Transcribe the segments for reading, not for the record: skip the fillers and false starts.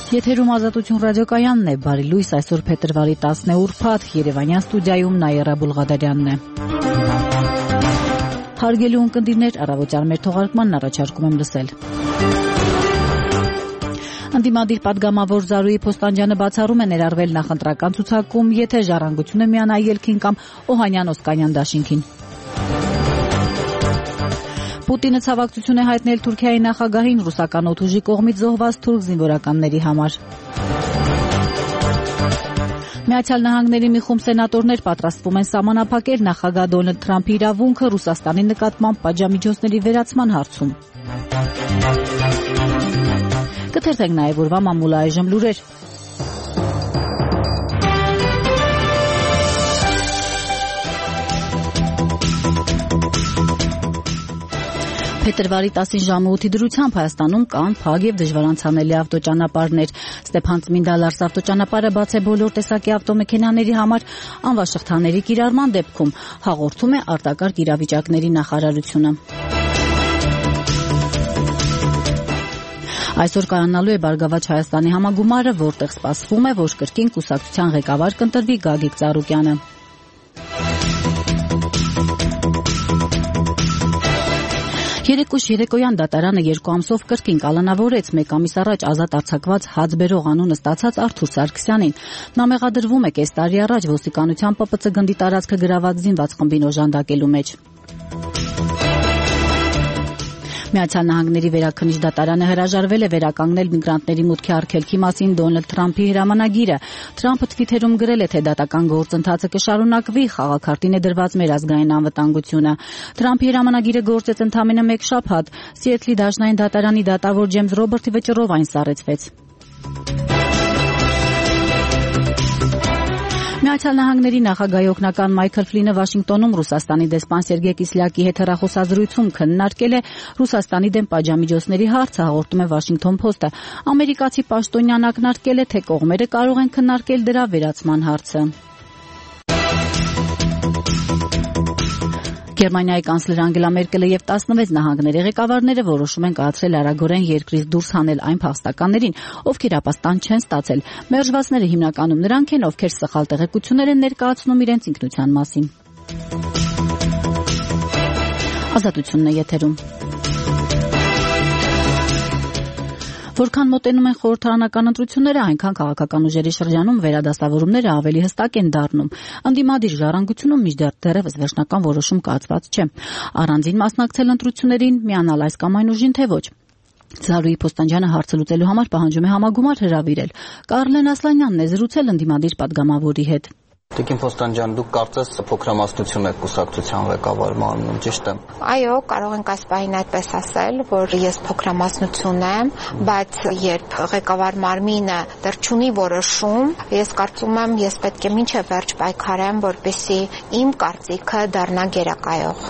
Եթերում Ազատություն ռադիոկայանն է, բարի լույս, այսօր փետրվարի 10 ուրբաթ, Երևանյան ստուդիայում Նաիրա Բուլղադարյանն է։ Հարգելի ունկնդիրներ, առավոտյան մեր թողարկմանն առաջարկում եմ լսել։ Ընդդիմադիր պատգամավոր Զարուհի Փոստանջյանը բացառում է ներառվել նախընտրական ցուցակում, եթե Ժառանգությունը միանա ելքին կամ Օհանյան-Օսկանյան դաշինքին։ Պուտինը ցավակցություն է հայտնել Թուրքիայի նախագահին ռուսական օդուժի կողմից զոհված թուրք զինվորականների համար։ Միացյալ Նահանգների մի խումբ սենատորներ պատրաստվում են սահմանափակել նախագահ Դոնալդ Թրամփի իրավունքը Ռուսաստանի նկատմամբ պատժամիջոցների վերացման հարցում։ Կթերթենք նաև օրվա մամուլը այժմ լուրեր։ Փետրվարի 10-ին ժամը 8-ի դրությամբ Հայաստանում կան փակ եւ դժվար անցանելի ավտոճանապարհներ։ Ստեփան-Ծմինդա-Լարս ավտոճանապարհը բաց է բոլոր տեսակի ավտոմեքենաների համար անվաշղթաների կիրառման դեպքում, հաղորդում է արտակարգ իրավիճակների նախարարությունը։ Այսօր կայանալու է Բարգավաճ Հայաստանի համագումարը, որտեղ սպասվում է, որ կրկին կուսակցության ղեկավար կընտրվի Գագիկ Ծառուկյանը։ Երեկոյան դատարանը 2 ամսով կրկին կալանավորեց 1 ամիս առաջ ազատ արձակված հաց բերող անունը ստացած Արթուր Սարգսյանին։ Նա մեղադրվում է կես տարի առաջ ոստիկանության ՊՊՑ գնդի տարածքը գրաված զինված խմբին օժանդակելու մեջ։ Միացյալ Նահանգների վերաքննիչ դատարանը հրաժարվել է վերականգնել միգրանտների մուտքի արգելքի մասին Դոնալդ Թրամփի հրամանագիրը։ Թրամփը թվիթերում գրել է, թե դատական գործընթացը կշարունակվի, խաղաքարտին է դրված մեր ազգային անվտանգությունը։ Թրամփի հրամանագիրը գործեց ընդամենը 1 շաբաթ։ Սիեթլի դաշնային դատարանի դատավոր Ջեյմս Ռոբերտի վճռով այն սառեցվեց։ Միացյալ Նահանգների նախագահի օգնական Մայքլ Ֆլինը Վաշինգտոնում Ռուսաստանի դեսպան Սերգեյ Կիսլյակի հետ հեռախոսազրույցում քննարկել է Ռուսաստանի դեմ պատժամիջոցների հարցը, հաղորդում է Washington Post-ը։ Ամերիկացի պաշտոնյան ակնարկել է, թե կողմերը կարող են քննարկել դրա վերացման հարցը։ Գերմանիայի կանցլեր Անգելա Մերկելը եւ 16 նահանգների ղեկավարները որոշում են կայացրել արագորեն երկրից դուրս հանել այն փախստականներին, ովքեր ապաստան չեն ստացել։ Մերժվածները հիմնականում նրանք են, ովքեր սխալ տեղեկություններ են ներկայացնում իրենց ինքնության մասին։ Ազատությունն է եթերում։ Որքան մոտենում են խորհրդարանական ընտրությունները, այնքան քաղաքական ուժերի շրջանում վերադասավորումները ավելի հստակ են դառնում։ Ընդդիմադիր Ժառանգությունում մինչդեռ դեռևս վերջնական որոշում կայացված չէ։ Առանձին մասնակցել ընտրություններին, միանալ այս կամ այն ուժին, թե ոչ։ Զարուհի Փոստանջյանը հարցը լուծելու համար պահանջում է համագումար հրավիրել։ Կարլեն Ասլանյանն է զրուցել ընդդիմադիր պատգամավորի հետ։ Տիկին Փոստանջյան, դուք կարծես փոքրամասնություն եք կուսակցության ղեկավարմանում, ճիշտ է։ Այո, կարող ենք այս պահին այդպես ասել, որ ես փոքրամասնություն եմ, բայց երբ ղեկավար մարմինը դեռ չունի որոշում, ես կարծում եմ, ես պետք է մինչև վերջ պայքարեմ, որպեսզի իմ կարծիքը դառնա գերակայող։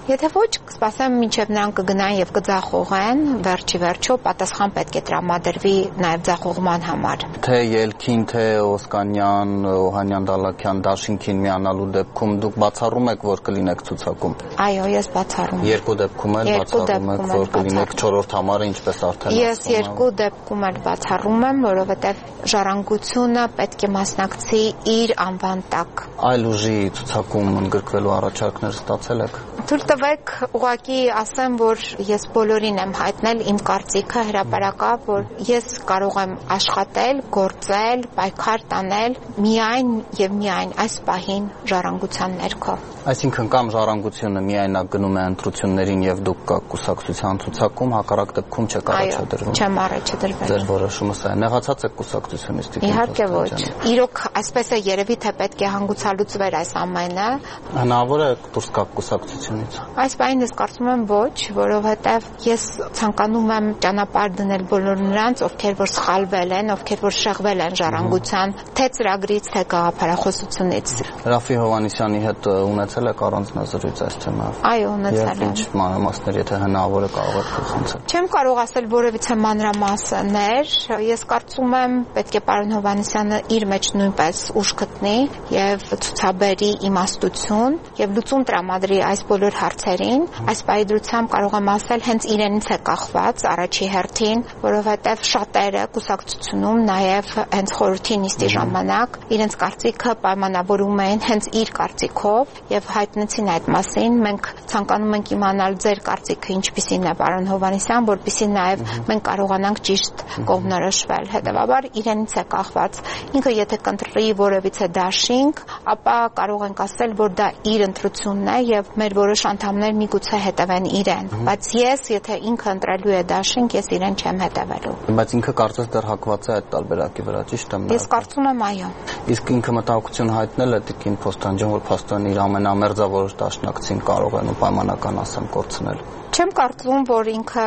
Եթե ոչ, կսպասեմ մինչև նրանք կգնան եւ կձախողեն, վերջի վերջո պատասխան պետք է տրամադրվի նաեւ ձախողման համար։ Թե ելքին, թե Օսկանյան, Օհանյան Դալաքյան դաշինքին միանալու դեպքում դուք բացառում եք, որ կլինեք ցուցակում։ Այո, ես բացառում եմ։ Երկու դեպքում էլ բացառում եք, որ կլինեք 4-րդ համարը, ինչպես արդեն ասում եմ։ Ես երկու դեպքում էլ բացառում եմ, որովհետև Ժառանգությունը պետք է մասնակցի իր անվան տակ։ Այլ ուժի ցուցակում ընդգրկվելու առաջարկներ ստացել եք։ Թույլ տվեք ուղղակի ասեմ, որ ես բոլորին եմ հայտնել իմ կարծիքը հրապարակավ, որ ես կարող եմ աշխատել, գործել, պայքար տանել միայն եւ միայն այս պահին Ժառանգության ներքո։ Այսինքն կամ Ժառանգությունը միայնակ գնում է ընտրություններին եւ դուք կաք կուսակցության ցուցակում, հակառակ դեպքում չեք առաջադրվում։ Այո, չեմ առաջադրվել։ Ձեր որոշումը սա է։ Նեղացած եք կուսակցությունից դիպ։ Իհարկե ոչ։ Իրոք այսպես է երևի թե պետք է հանգուցալուծվեր այս ամենը։ Հնարավոր է դուրս գաք կուսակցությունից։ Այս բանին ես կարծում եմ ոչ, որովհետեւ ես ցանկանում եմ ճանապարհ դնել բոլոր նրանց, ովքեր որ սխալվել են, ովքեր որ շեղվել են Ժառանգության թե ծրագրից, թե գաղափարից գաղափարախոսությունից։ Ռաֆի Հովհաննիսյանի հետ ունեցել եք առանձնազրույց այս թեմայով։ Այո, ունեցել եմ։ Ինչ մանրամասներ, եթե հնարավոր է, կարող եք փոխանցել։ Չեմ կարող ասել որևիցե մանրամասներ, ես կարծում եմ պետք է պարոն Հովհաննիսյանը իր մեջ նույնպես ուժ գտնի եւ ցուցաբերի իմաստություն եւ լուծում տրամադրի այս բոլոր հարցերին։ Այս պայծրությամբ կարող եմ ասել հենց իրենից է կախված առաջի հերթին, որովհետեւ շատերը կուսակցությունում նաեւ հենց խորհրդի նիստի ժամանակ իրենց կարծիքը պայմանավորում էին հենց իր կարծիքով եւ հայտնեցին այդ մասին։ Մենք ցանկանում ենք իմանալ ձեր կարծիքը ինչպիսին է, պարոն Հովհաննիսյան, որպեսզի նաեւ մենք կարողանանք ճիշտ կողմնորոշվել։ Հետևաբար իրենից է կախված։ Ինքը եթե կընտրի որևիցե դաշինք, ապա կարող ենք ասել, որ դա իր ընտրությունն է եւ մեր որոշ անդամներ միգուցե հետևեն իրեն, բայց ես, եթե ինքը ընտրելու է դաշինք, ես իրեն չեմ հետևելու։ Բայց ինքը կարծես դեռ հակված է այդ տարբերակի վրա, ճիշտ եմ։ Ես կարծում եմ, այո։ Իսկ ինքը մտահոգություն հայտնել է Տիկին Փոստանջան, որ փաստորեն իր ամենամերձավորոշ դաշնակցին կարող են ու պայմանական ասեմ կորցնել։ Չեմ կարծում, որ ինքը,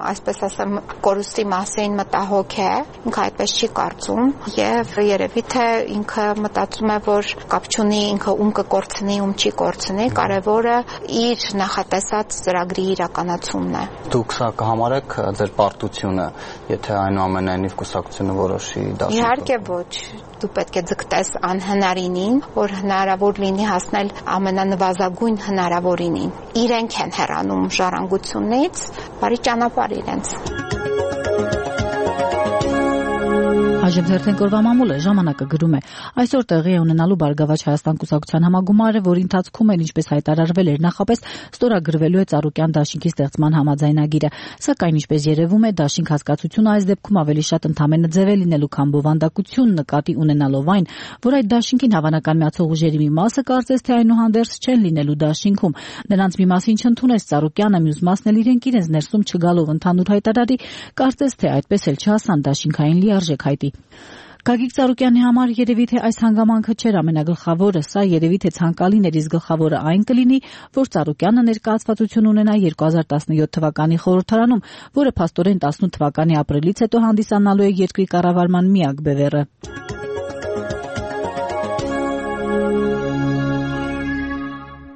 այսպես ասեմ, կորուստի մասին մտահոգ է, ինքը այդպես չի կարծում եւ երևի թե ինքը մտածում է, որ կապ չունի ինքը ում կկորցնի, ում չի կորցնի, կարևորը իր նախատեսած ծրագրի իրականացումն է։ Դուք սա կհամարեք ձեր պարտությունը, եթե այնուամենայնիվ կուսակցությունը որոշի դաշինք։ Իհարկե ոչ, դու պետք է ձգտես անհնարինին, որ հնարավոր լինի հասնել ամենանվազագույն հնարավորինին։ Իրենք են հեռանում ժառանգությունից, բարի ճանապարհ իրենց։ Այժմ Թերթեն կորվա մամուլը ժամանակը գրում է. այսօր տեղի է ունենալու Բարգավաճ Հայաստան կուսակցության համագումարը, որի ընթացքում էլ ինչպես հայտարարվել էր նախապես, ստորագրվելու է Ծառուկյան դաշինքի ստեղծման համաձայնագիրը։ Սակայն ինչպես երևում է, դաշինք հասկացությունը այս դեպքում ավելի շատ ընդհանրապես ձև է լինելու, քան բովանդակություն, նկատի ունենալով այն, որ այդ դաշինքին հավանական միացող ուժերի մի մասը կարծես թե այնուհանդերձ չեն լինելու դաշինքում։ Նրանց մի մասին չընդունեց Ծառուկյանը, մյուս մասն էլ իրենց ներսում չգալով ընդհանուր հայտարարի, կարծես թե այդպես էլ չհասան դաշինքային լիարժեք հայտի։ Գագիկ Ծառուկյանի համար երևի թե այս հանգամանքը չէր ամենագլխավորը, սա երևի թե ցանկալին էր, իսկ գլխավորը այն կլինի, որ Ծառուկյանը ներկայացվածություն ունենա 2017 թվականի խորհրդարանում, որը փաստորեն 18 թվականի ապրիլից հետո հանդիսանալու է երկրի կառավարման միակ բևեռը։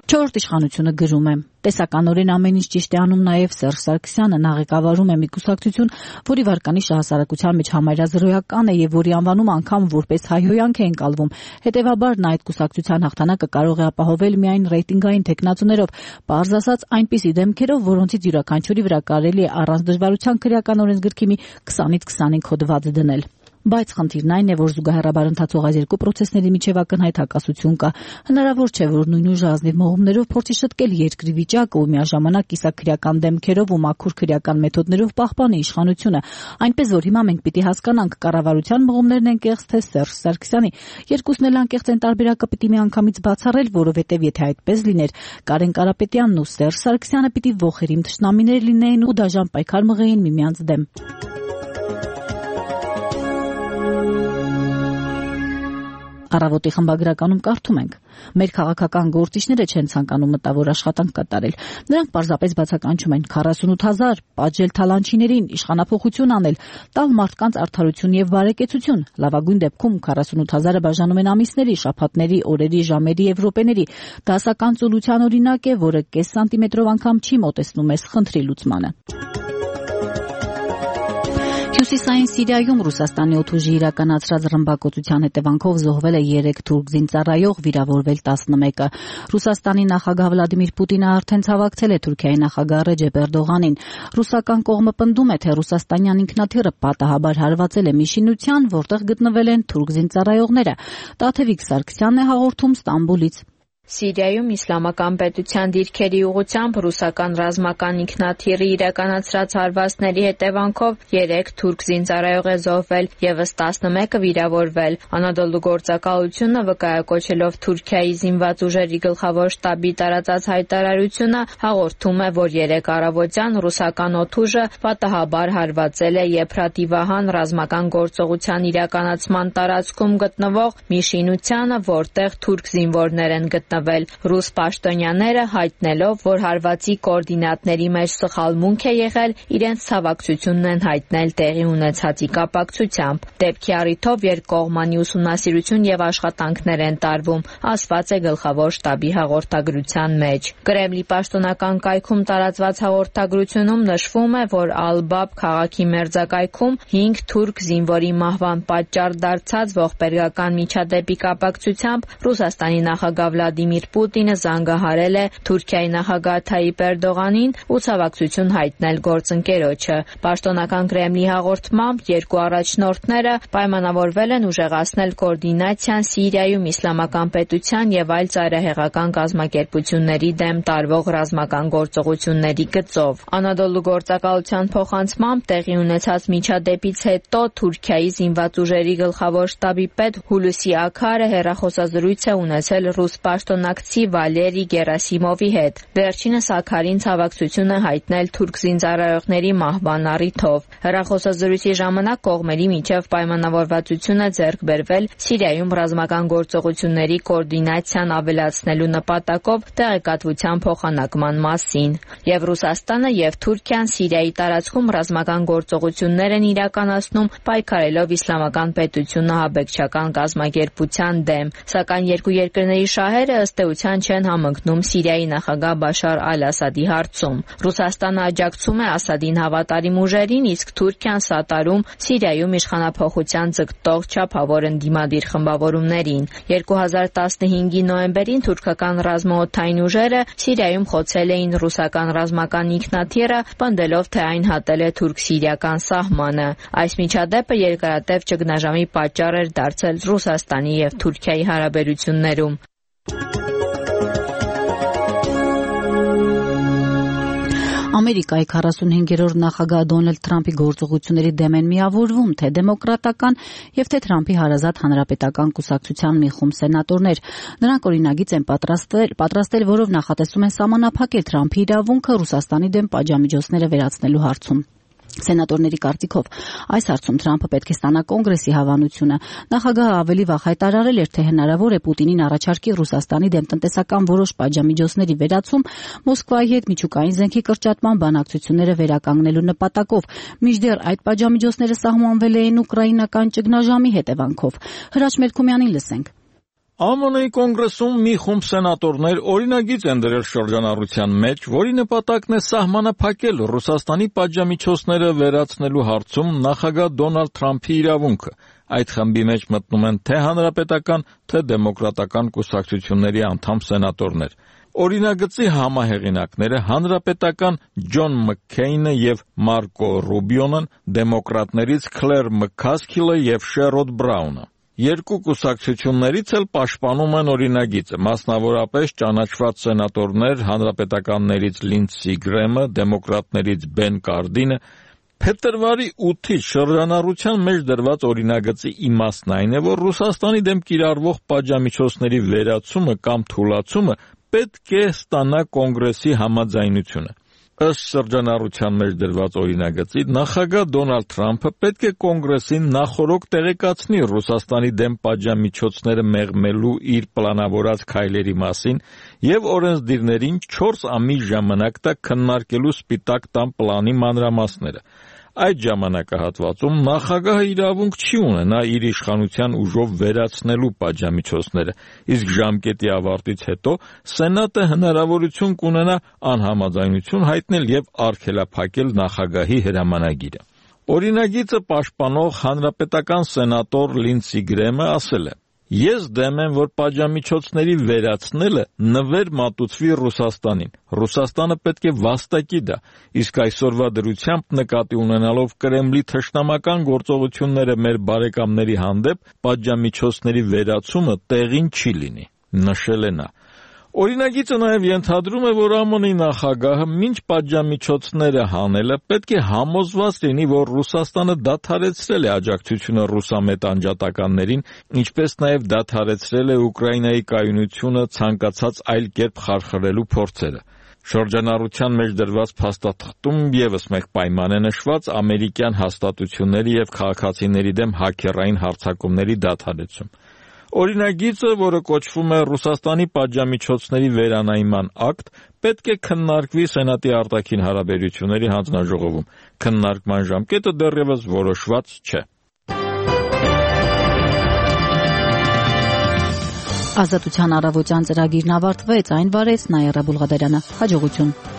Չորրորդ իշխանությունը գրում է. տեսականորեն ամեն ինչ ճիշտ է անում նաև Սերժ Սարգսյանը, նա ղեկավարում է մի կուսակցություն, որի վարկանիշը հասարակության մեջ համարյա զրոյական է եւ որի անվանումը անգամ որպես հայհոյանք է ընկալվում։ Հետևաբար նա այդ կուսակցության հաղթանակը կարող է ապահովել միայն ռեյտինգային թեկնածուներով, պարզ ասած այնպիսի դեմքերով, որոնցից յուրաքանչյուրի վրա կարելի է առանց դժվարության քրեական օրենսգրքի մի 20-ից 25 հոդված դնել։ Բայց խնդիրն այն է, որ զուգահեռաբար ընթացող այս երկու պրոցեսների միջև ակնհայտ հակասություն կա։ Հնարավոր չէ, որ նույն ուժը ազնիվ մողումներով փորձի շտկել երկրի վիճակը ու միաժամանակ կիսաքրեական դեմքերով ու մաքուր քրեական մեթոդներով պահպանի իշխանությունը։ Այնպես որ հիմա մենք պիտի հասկանանք կառավարության մողումներն են կեղծ թե Սերժ Սարգսյանի։ Երկուսն էլ անկեղծ են, տարբերակը պիտի միանգամից բացառել, որովհետև եթե այդպես լիներ, Կարեն Կարապետյանն ու Սերժ Սարգսյանը պիտի ողերիմ թշնամիներ լինեին ու դաժան պայքար մղեին միմյանց դեմ։ Առավոտի խմբագրականում կարդում ենք. մեր քաղաքական գործիչները չեն ցանկանում մտավոր աշխատանք կատարել։ Նրանք պարզապես բացականչում են 48,000 պատժել թալանչիներին, իշխանափոխություն անել, տալ մարդկանց արդարություն եւ բարեկեցություն։ Լավագույն դեպքում 48,000-ը բաժանում են ամիսների, շաբաթների, օրերի, ժամերի եւ րոպեների։ Դասական ծուլության օրինակ է, որը կես սանտիմետրով անգամ չի մոտեցնում այս խնդրի լուծմանը։ Հյուսիսային Սիրիայում Ռուսաստանի օդուժի իրականացրած ռմբակոծության հետևանքով զոհվել է 3 թուրք զինծառայող, վիրավորվել 11-ը։ Ռուսաստանի նախագահ Վլադիմիր Պուտինը արդեն ցավակցել է Թուրքիայի նախագահ Ռեջեփ Էրդողանին։ Ռուսական կողմը պնդում է, թե ռուսաստանյան ինքնաթիռը պատահաբար հարվածել է մի շինության, որտեղ գտնվել են թուրք զինծառայողները։ Տաթևիկ Սարգսյանն է հաղորդում Ստամբուլից։ Սիրիայում իսլամական պետության դիրքերի ուղղությամբ ռուսական ռազմական ինքնաթիռի իրականացրած հարվածների հետևանքով 3 թուրք զինծառայող է զոհվել եւս 11-ը վիրավորվել։ Անադոլու գործակալությունը վկայակոչելով Թուրքիայի զինված ուժերի գլխավոր շտաբի տարածած հայտարարությունը հաղորդում է, որ 3 առավոտյան ռուսական օդուժը պատահաբար հարվածել է Եփրատի Վահան ռազմական գործողության իրականացման տարածքում գտնվող մի շինությանը, որտեղ թուրք զինվորներ են գտնվել։ գտնվել։ Ռուս պաշտոնյաները հայտնելով, որ հարվածի կոորդինատների մեջ սխալմունք է եղել, իրենց ցավակցությունն են հայտնել տեղի ունեցածի կապակցությամբ։ Դեպքի առիթով երկկողմանի ուսումնասիրություն եւ աշխատանքներ են տարվում, ասված է գլխավոր շտաբի հաղորդագրության մեջ։ Կրեմլի պաշտոնական կայքում տարածված հաղորդագրությունում նշվում է, որ Ալ-Բաբ քաղաքի մերձակայքում 5 թուրք զինվորի մահվան պատճառ դարձած ողբերգական միջադեպի կապակցությամբ Ռուսաստանի նախագահ Վլադիմիր Պուտինը զանգահարել է Թուրքիայի նախագահ Թայիպ Էրդողանին ու ցավակցություն հայտնել գործընկերոջը։ Պաշտոնական Կրեմլի հաղորդմամբ երկու առաջնորդները պայմանավորվել են ուժեղացնել կոորդինացիան Սիրիայում իսլամական պետության եւ այլ ծայրահեղական կազմակերպությունների դեմ տարվող ռազմական գործողությունների գծով։ Անադոլու գործակալության փոխանցմամբ տեղի ունեցած միջադեպից հետո Թուրքիայի զինված ուժերի գլխավոր շտաբի պետ Հուլուսի Աքարը հեռախոսազրույց է ունեցել ռուս պաշտոնակցի Վալերի Գերասիմովի հետ։ Վերջինս Աքարին ցավակցություն է հայտնել թուրք զինծառայողների մահվան առիթով։ Հեռախոսազրույցի ժամանակ կողմերի միջև պայմանավորվածություն է ձեռք բերվել Սիրիայում ռազմական գործողությունների կոորդինացիան ավելացնելու նպատակով տեղեկատվության փոխանակման մասին։ Եվ Ռուսաստանը եւ Թուրքիան Սիրիայի տարածքում ռազմական գործողություններ են իրականացնում պայքարելով իսլամական պետությունը ահաբեկչական կազմակերպության դեմ, սակայն երկու երկրների շահերը ըստ էության չեն համընկնում Սիրիայի նախագահ Բաշար Ալ-Ասադի հարցում։ Ռուսաստանը աջակցում է Ասադին հավատարիմ ուժերին, իսկ Թուրքիան սատարում Սիրիայում իշխանափոխության ձգտող չափավոր ընդդիմադիր խմբավորումներին։ 2015-ի նոյեմբերին թուրքական ռազմաօդային ուժերը Սիրիայում խոցել էին ռուսական ռազմական ինքնաթիռը, պնդելով, թե այն հատել է թուրք-սիրիական սահմանը։ Այս միջադեպը երկարատև ճգնաժամի պատճառ էր դարձել Ռուսաստանի եւ Թուրքիայի հարաբերություններում։ Ամերիկայի 45-րդ նախագահ Դոնալդ Թրամփի գործողությունների դեմ են միավորվում թե դեմոկրատական եւ թե Թրամփի հարազատ հանրապետական կուսակցության մի խումբ սենատորներ։ Նրանք օրինագիծ են պատրաստել, որով նախատեսում են սահմանափակել Թրամփի իրավունքը Ռուսաստանի դեմ պատժամիջոցները վերացնելու հարցում։ Սենատորների կարծիքով այս հարցում Թրամփը պետք է ստանա կոնգրեսի հավանությունը։ Նախագահը ավելի վաղ հայտարարել էր, թե հնարավոր է Պուտինին առաջարկի Ռուսաստանի դեմ տնտեսական որոշ պատժամիջոցների վերացում Մոսկվայի հետ միջուկային զենքի կրճատման բանակցությունները վերականգնելու նպատակով։ Մինչդեռ այդ պատժամիջոցները սահմանվել էին ուկրաինական ճգնաժամի հետևանքով։ Հրաչ Մելքումյանին լսենք։ ԱՄՆ-ի կոնգրեսում մի խումբ սենատորներ օրինագիծ են դրել շրջանառության մեջ, որի նպատակն է սահմանափակել Ռուսաստանի պատժամիջոցները վերացնելու հարցում նախագահ Դոնալդ Թրամփի իրավունքը։ Այդ խմբի մեջ մտնում են թե հանրապետական, թե դեմոկրատական կուսակցությունների անդամ սենատորներ։ Օրինագծի համահեղինակները հանրապետական Ջոն Մաքքեյնը եւ Մարկո Ռուբիոն, դեմոկրատներից Քլեր Մքասքիլը եւ Շերոդ Բրաունը։ Երկու կուսակցություններից էլ պաշտպանում են օրինագիծը, մասնավորապես ճանաչված սենատորներ հանրապետականներից Լինդսի Գրեմը, դեմոկրատներից Բեն Կարդինը։ Փետրվարի 8-ից շրջանառության մեջ դրված օրինագծի իմաստն այն է, որ Ռուսաստանի դեմ կիրառվող պատժամիջոցների վերացումը կամ թուլացումը պետք է ստանա կոնգրեսի համաձայնությունը։ Ըստ շրջանառության մեջ դրված օրինագծի, նախագահ Դոնալդ Թրամփը պետք է կոնգրեսին նախօրոք տեղեկացնի Ռուսաստանի դեմ պատժամիջոցները մեղմելու իր պլանավորած քայլերի մասին եւ օրենսդիրներին 4 ամիս ժամանակ տա քննարկելու Սպիտակ տան պլանի մանրամասները։ Այդ ժամանակահատվածում նախագահը իրավունք չի ունենա իր իշխանության ուժով վերացնելու պատժամիջոցները, իսկ ժամկետի ավարտից հետո Սենատը հնարավորություն կունենա անհամաձայնություն հայտնել եւ արգելափակել նախագահի հրամանագիրը։ Օրինագիծը պաշտպանող հանրապետական սենատոր Լինդսի Գրեմը ասել է. Ես դեմ եմ, որ պատժամիջոցների վերացնելը նվեր մատուցվի Ռուսաստանին։ Ռուսաստանը պետք է վաստակի դա, իսկ այսօրվա դրությամբ նկատի ունենալով Կրեմլի թշնամական գործողությունները մեր բարեկամների հանդեպ, պատժամիջոցների վերացումը տեղին չի լինի, նշել է նա։ Օրինագիծը նաև ենթադրում է, որ ԱՄՆ-ի նախագահը մինչ պատժամիջոցները հանելը պետք է համոզված լինի, որ Ռուսաստանը դադարեցրել է աջակցությունը ռուսամետ անջատականներին, ինչպես նաև դադարեցրել է Ուկրաինայի կայունությունը ցանկացած այլ կերպ խարխլելու փորձերը։ Շրջանառության մեջ դրված փաստաթղթում ևս մեկ պայման է նշված ամերիկյան հաստատությունների եւ քաղաքացիների դեմ հաքերային հարձակումների դադարեցում։ Օրինագիծը, որը կոչվում է Ռուսաստանի պատժամիջոցների վերանայման ակտ, պետք է քննարկվի Սենատի արտաքին հարաբերությունների հանձնաժողովում։ Քննարկման ժամկետը դեռևս որոշված չէ։ Ազատության առավոտյան ծրագիրն ավարտվեց, այն վարեց Նայիրա Բուլղադարյանը։ Հաջողություն։